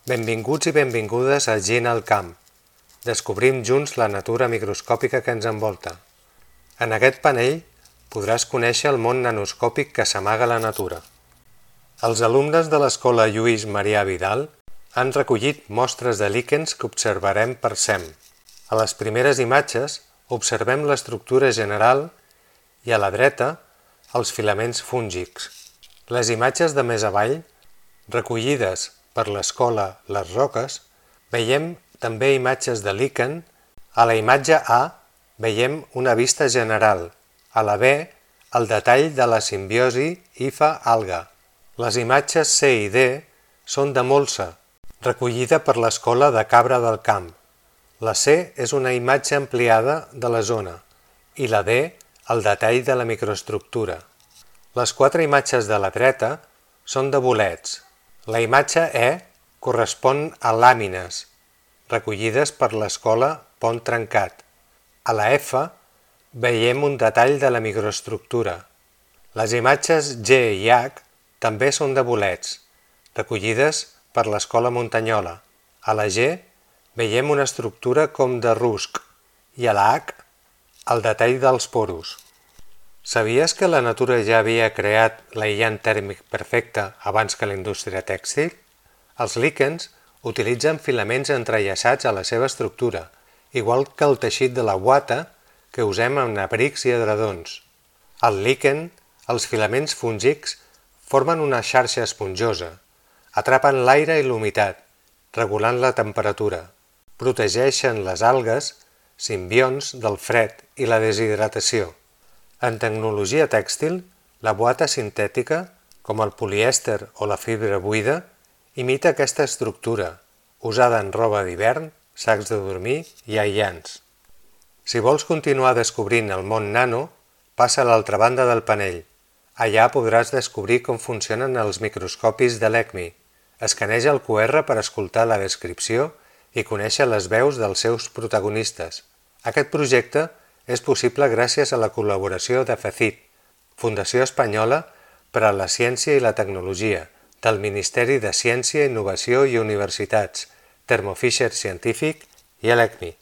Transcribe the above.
Benvinguts i benvingudes a Gent al Camp. Descobrim junts la natura microscòpica que ens envolta. En aquest panell podràs conèixer el món nanoscòpic que s'amaga a la natura. Els alumnes de l'Escola Lluís Marià Vidal han recollit mostres de líquens que observarem per SEM. A les primeres imatges observem l'estructura general i a la dreta els filaments fúngics. Les imatges de més avall, recollides per l'escola Les Roques, veiem també imatges de líquen. A la imatge A veiem una vista general, a la B el detall de la simbiosi hifa-alga. Les imatges C i D són de molsa, recollida per l'escola de Cabra del Camp. La C és una imatge ampliada de la zona i la D el detall de la microestructura. Les 4 imatges de la dreta són de bolets. La imatge E correspon a làmines, recollides per l'escola Pont Trencat. A la F veiem un detall de la microestructura. Les imatges G i H també són de bolets, recollides per l'escola Muntanyola. A la G veiem una estructura com de rusc i a la H el detall dels poros. Sabies que la natura ja havia creat l'aïllant tèrmic perfecte abans que la indústria tèxtil? Els líquens utilitzen filaments entrellaçats a la seva estructura, igual que el teixit de la guata que usem en abrics i edredons. Al líquen, els filaments fúngics formen una xarxa esponjosa, atrapen l'aire i l'humitat, regulant la temperatura, protegeixen les algues, simbionts del fred i la deshidratació. En tecnologia tèxtil, la guata sintètica, com el polièster o la fibra buida, imita aquesta estructura, usada en roba d'hivern, sacs de dormir i aïllants. Si vols continuar descobrint el món nano, passa a l'altra banda del panell. Allà podràs descobrir com funcionen els microscopis de l'ECMI. Escaneja el QR per escoltar la descripció i conèixer les veus dels seus protagonistes. Aquest projecte és possible gràcies a la col·laboració de FECIT, Fundació Espanyola per a la Ciència i la Tecnologia, del Ministeri de Ciència, Innovació i Universitats, Thermo Fisher Scientific i l'ECMI.